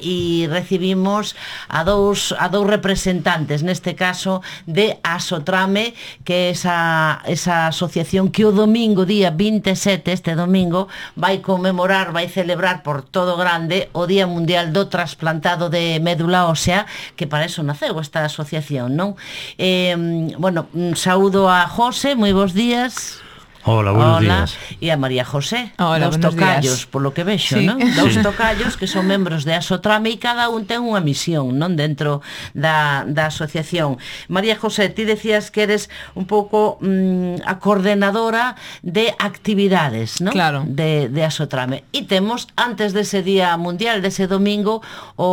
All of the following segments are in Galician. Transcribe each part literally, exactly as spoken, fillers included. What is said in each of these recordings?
e recibimos a dous, a dous representantes, neste caso de Asotrame, que é esa, esa asociación que o domingo, día vinte e sete, este domingo, vai conmemorar, vai celebrar por todo grande o Día Mundial do Trasplantado de Médula Ósea, que para eso naceu esta asociación, non? Eh, bueno, saúdo a José, moi bons días. Hola, buenos Hola. días. E a María José, Hola, dos buenos tocallos, días. polo que vexo, Sí. non? Dous Sí. tocallos que son membros de Asotrame e cada un ten unha misión, non? Dentro da, da asociación. María José, ti decías que eres un pouco mm, a coordenadora de actividades, non? Claro. De, de Asotrame. E temos, antes dese Día Mundial, dese domingo, o,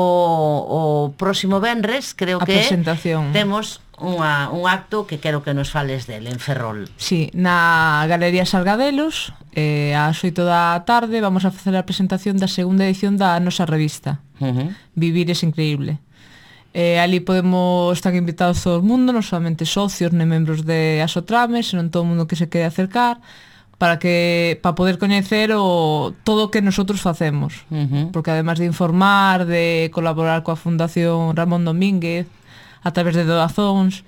o próximo venres, creo A que é, presentación. temos unha, un acto que quero que nos fales del, en Ferrol. Sí, na Galería Sargadelos, eh, ás oito da tarde, vamos a facer a presentación da segunda edición da nosa revista, Uh-huh. Vivir es increíble. Eh, ali podemos estar invitados todo o mundo, non solamente socios nem membros de Asotrame, senón todo o mundo que se quere acercar, para que para poder coñecer o todo o que nosotros facemos. Uh-huh. Porque además de informar, de colaborar coa Fundación Ramón Domínguez a través de doazóns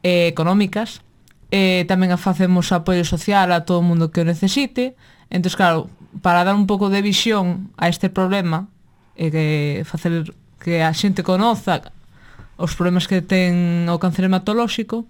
eh, económicas, eh, tamén facemos apoio social a todo o mundo que o necesite. Entón, claro, para dar un pouco de visión a este problema e que facer que a xente conoza os problemas que ten o cáncer hematolóxico,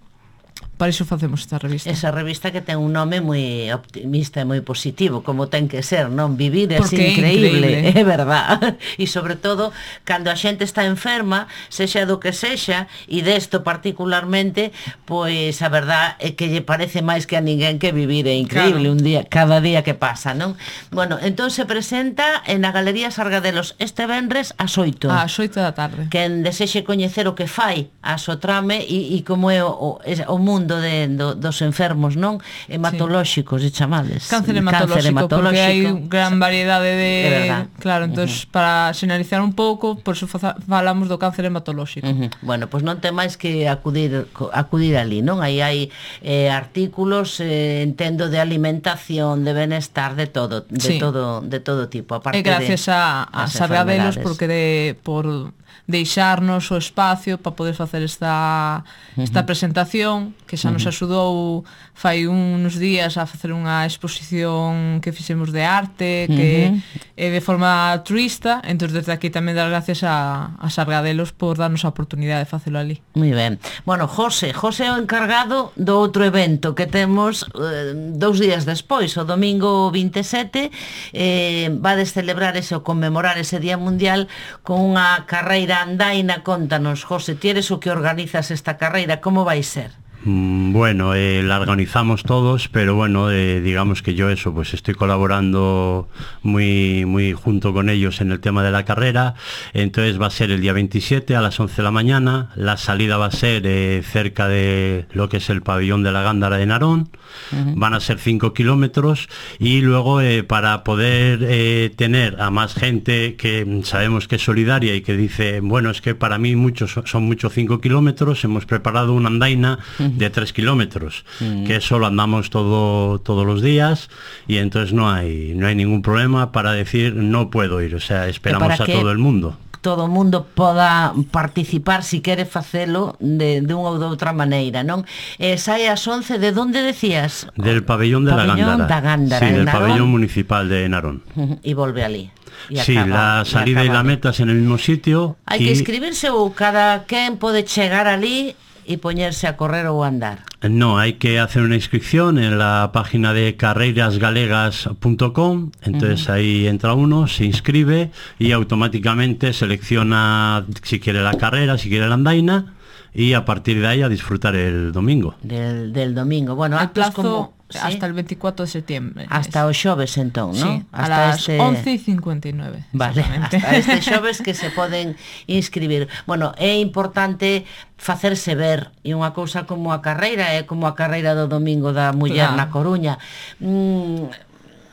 para iso facemos esta revista. Esa revista que ten un nome moi optimista e moi positivo, como ten que ser, non? Vivir é Porque é increíble, increíble. é verdad. E sobre todo, cando a xente está enferma, sexa do que sexa, e desto particularmente, pois a verdad é que lle parece máis que a ninguén que vivir é increíble, Claro. un día, cada día que pasa, non? Bueno, entón se presenta en a Galería Sargadelos este venres ás oito. Ás oito da tarde. Quen desexe coñecer o que fai a Asotrame e, e como é o, o, o mundo de, do, dos enfermos, non? Hematolóxicos, sí. E chamades. Cáncer hematolóxico, porque hai gran variedade de... É verdad. Claro, entón, uh-huh. para sinalizar un pouco, por iso falamos do cáncer hematolóxico. Uh-huh. Bueno, pois pues non ten máis que acudir acudir ali, non? Aí hai eh, artículos, eh, entendo, de alimentación, de benestar, de todo, de Sí. todo, de todo tipo. Aparte E gracias de, a, a as Sargadelos, enfermedades. porque de, por deixarnos o espacio para poder facer esta esta presentación, que xa nos axudou fai uns días a facer unha exposición que fixemos de arte, que Uh-huh. é de forma altruista. Entón, desde aquí tamén dar gracias a, a Sargadelos por darnos a oportunidade de facelo ali. Moi ben. Bueno, José, José é o encargado do outro evento que temos eh, dous días despois, o domingo vinte e sete, eh, vades celebrar ese, ou conmemorar ese Día Mundial con unha carreira andaina. Contanos, José, ti eres o que organizas esta carreira, como vai ser? Mm, Bueno, eh, la organizamos todos, pero bueno, eh, digamos que yo eso, pues estoy colaborando muy, muy junto con ellos en el tema de la carrera. Entonces va a ser el día veintisiete a las once de la mañana. La salida va a ser eh, cerca de lo que es el pabellón de la Gándara de Narón. Uh-huh. Van a ser cinco kilómetros y luego eh, para poder eh, tener a más gente que sabemos que es solidaria y que dice, bueno, es que para mí muchos son muchos cinco kilómetros, hemos preparado una andaina de tres kilómetros, uh-huh. que eso lo andamos todo, todos los días y entonces no hay, no hay ningún problema para decir no puedo ir, o sea, esperamos a todo el mundo. Todo o mundo poda participar si quere facelo de, de unha ou de outra maneira, non? Eh, sai ás once, de onde decías? Del pabellón de pabellón la Gándara. Da Gándara, sí, del Narón. pabellón municipal de Narón. Uh-huh. Y volve ali. Y sí, acaba, la salida y, y la meta es en el mismo sitio. Hai y... que inscribirse ou cada quen pode chegar ali e poñerse a correr ou andar? No, hay que hacer una inscripción en la página de carreiras galegas punto com, entonces uh-huh. ahí entra uno, se inscribe y automáticamente selecciona si quiere la carrera, si quiere la andaina y a partir de ahí a disfrutar el domingo. Del, del domingo. Bueno, el plazo como, hasta ¿sí? el veinticuatro de septiembre. Hasta o xoves, entón, sí, ¿no? a hasta las este... once y cincuenta y nueve. Vale, hasta este xoves que se poden inscribir. Bueno, é importante facerse ver, e unha cousa como a carreira é como a carreira do domingo da muller claro. na Coruña. Mm,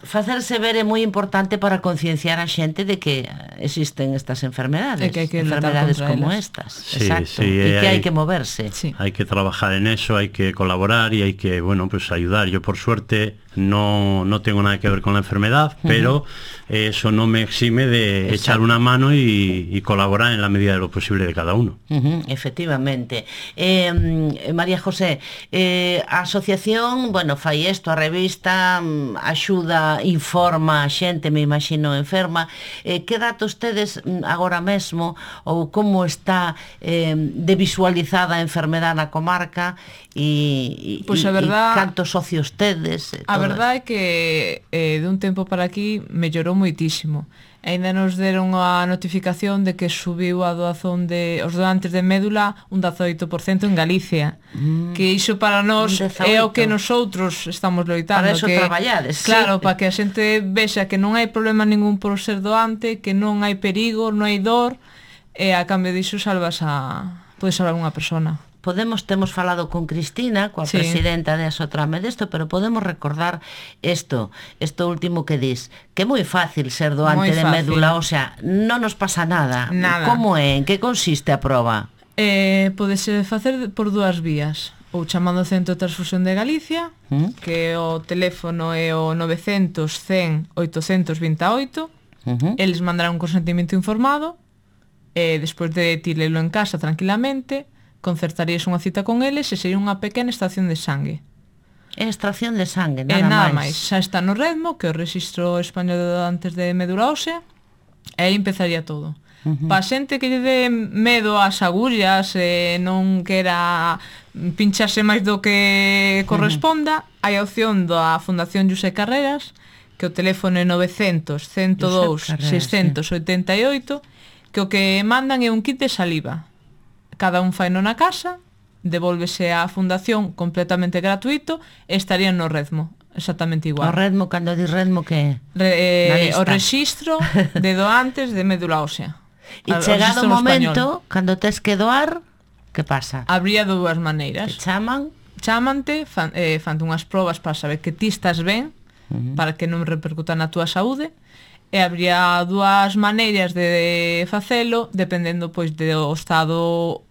facerse ver é moi importante para concienciar a xente de que existen estas enfermedades, E que hai que lutar enfermedades contra como elas. estas. Sí, Exacto. sí, E que hai- hai que moverse. Sí. Hay que trabajar en eso, hay que colaborar y hay que, bueno, pues ayudar. Yo por suerte no, no tengo nada que ver con la enfermedad, uh-huh. pero eso no me exime de Exacto. echar una mano y, y colaborar en la medida de lo posible de cada uno. Uh-huh, efectivamente. Eh, María José, eh, a asociación, bueno, fai isto, a revista, mm, axuda, informa a xente, me imagino, enferma. Eh, que datos tedes mm, agora mesmo ou como está eh, de visualizada a enfermedade na comarca e, e, Pois a e- verdad- e cantos socios tedes? E A todo verdade é que eh, de un tempo para aquí mellorou moitísimo. Ainda nos deron a notificación de que subiu a doazón de os doantes de médula un dezaoito por cento en Galicia. Mm. Que iso para nós Un é o que dezaoito. nosotros estamos loitando. Para eso que, traballades, Claro, sí. para que a xente vexa que non hai problema ningún por ser doante, que non hai perigo, non hai dor, e a cambio diso salvas a... podes salvar unha persona. Podemos, temos falado con Cristina, coa Sí. presidenta de Asotrame desto, pero podemos recordar isto, isto último que dis, que é moi fácil ser doante Moi de fácil. médula, o sea, non nos pasa nada. Nada. Como é? En que consiste a proba? Eh, podese facer por dúas vías, ou chamando ao Centro de Transfusión de Galicia, Mm. que o teléfono é o novecientos, cen, oitocentos veintioito, Uh-huh. eles mandarán un consentimento informado, e despois de ti lelo en casa tranquilamente, concertarías unha cita con eles e sería unha pequena estación de sangue. É extracción de sangue, E nada, nada máis. máis, xa está no Redmo, que é o Rexistro Español de Doantes de Médula Ósea, e aí empezaría todo. Uh-huh. Pa xente que lle dé medo ás agullas e non quera pincharse máis do que corresponda, uh-huh. hai a opción da Fundación José Carreras, que o teléfono é novecentos, ciento dous, seiscentos oitenta e oito, que o que mandan é un kit de saliva. Cada un faino na casa, devólvese á fundación completamente gratuito e estarían no Redmo, exactamente O igual. redmo, cando di redmo, que é? Re, Na eh, lista. o rexistro de doantes de médula ósea. E Al- o chegado o rexistro en momento, español. cando tes que doar, que pasa? Habría dúas Te maneiras. chaman? Chámante, fan, eh, fante unhas probas para saber que ti estás ben, uh-huh. para que non repercuta na túa saúde, e habría dúas maneiras de facelo, dependendo pois do estado,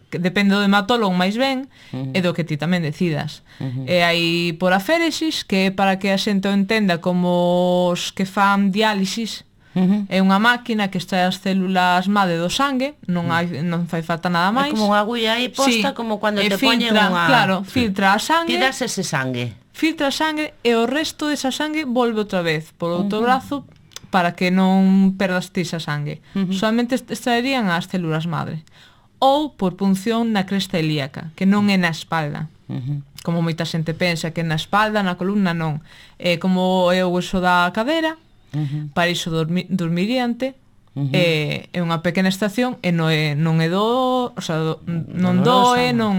que depende do hematólogo máis ben, uh-huh. e do que ti tamén decidas. Uh-huh. E hai por aféresis, que é para que a xente o entenda como os que fan diálisis. Uh-huh. É unha máquina que extrae as células madre do sangue, non hai non fai falta nada É máis. como unha agulla aí posta, Sí, como cando e te poñen filtra, unha... Claro, filtra a sangue, Ti das ese sangue. filtra a sangue e o resto desa sangue volve outra vez por outro uh-huh. brazo para que non perdas ti esa sangue. Uh-huh. Solamente extraerían as células madre. Ou por punción na cresta ilíaca, que non é na espalda. Uh-huh. Como moita xente pensa que na espalda, na columna non. É como é o hueso da cadera, uh-huh. para iso dormi, dormiriante, uh-huh. é, é unha pequena estación e non é, non é do, o sea, do, non doe, non...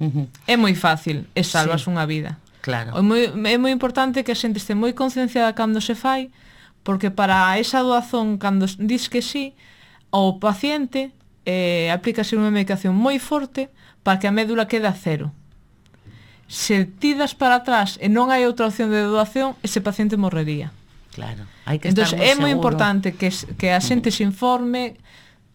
Uh-huh. Uh-huh. É moi fácil e salvas Sí. unha vida. Claro. É moi, é moi importante que a xente este moi concienciada cando se fai, porque para esa doazón, cando dis que sí, o paciente eh, aplícase unha medicación moi forte para que a médula quede a cero. Se ti das para atrás e non hai outra opción de doación, ese paciente morrería. Claro. Hai que Entón, estar moi é moi seguro. importante que, que a xente se informe,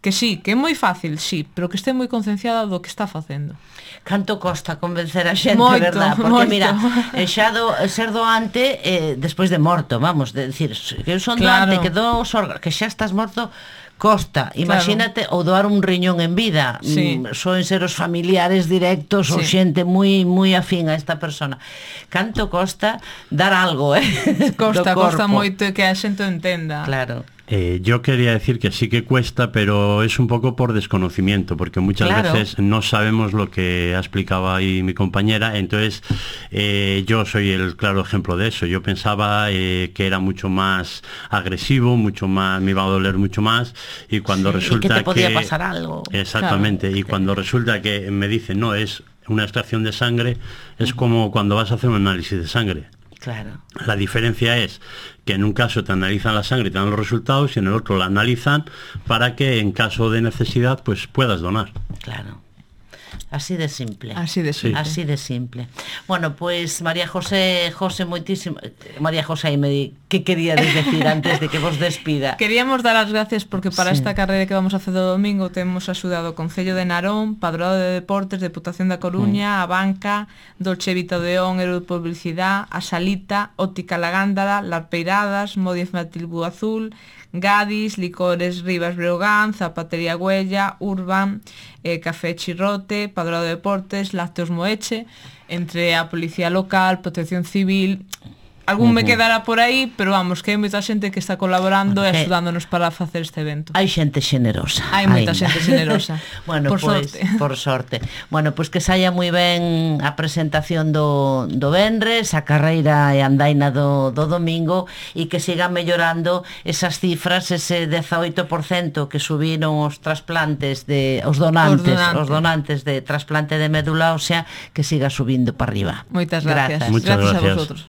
que sí, que é moi fácil, sí, pero que este moi concienciada do que está facendo. Canto costa convencer a xente, Moito, verdad? Porque moito. mira, eh, xa do, ser doante eh, despois de morto, vamos, de decir, que eu son Claro. doante, que dou os órganos, que xa estás morto, costa. Imagínate, ou doar un riñón en vida. Sí. Mm, soen ser os familiares directos ou Sí. xente moi moi afín a esta persona. Canto costa dar algo, eh? Costa, do costa corpo. moito que a xente o entenda. Claro. Eh, yo quería decir que sí que cuesta, pero es un poco por desconocimiento, porque muchas Claro. veces no sabemos lo que ha explicado ahí mi compañera. Entonces, eh, yo soy el claro ejemplo de eso. Yo pensaba eh, que era mucho más agresivo, mucho más, me iba a doler mucho más, y cuando Sí, y resulta que te podía que- pasar algo. Exactamente, y cuando resulta que me dicen, no, es una extracción de sangre, es como cuando vas a hacer un análisis de sangre. Claro. La diferencia es que en un caso te analizan la sangre y te dan los resultados, y en el otro la analizan para que en caso de necesidad pues puedas donar. Claro. Así de simple. Así de simple. Así de simple. Bueno, pues María José, José moitísimo. María José, me di, que queríades decir antes de que vos despida? Queríamos dar as gracias porque para Sí. esta carreira que vamos a facer o domingo temos axudado o Concello de Narón, Padroado de Deportes, Deputación da Coruña, a Banca, Dolce Vita Odeón, Euro de Publicidad, a Salita, Óptica La Gándara, Larpeiradas, Modia Infantil Bu Azul, Gadis, Licores Rivas Breogán, Zapatería Huella, Urban, eh, Café Chirrote, Padroado de Deportes, Lácteos Moeche, entre a Policía Local, Protección Civil. Algún me quedará por aí, pero vamos, que hai moita xente que está colaborando e Bueno, que- axudándonos para facer este evento. Hai xente xenerosa. Hai moita aínda. xente xenerosa. Bueno, Por pois, sorte. por sorte. Bueno, pois que saia moi ben a presentación do, do venres, a carreira e andaina do, do domingo e que sigan mellorando esas cifras, ese dezaoito por cento que subiron os trasplantes de os donantes, Os donantes. os donantes de trasplante de médula ósea, que siga subindo para arriba. Moitas gracias. Muchas gracias a gracias. vosotros.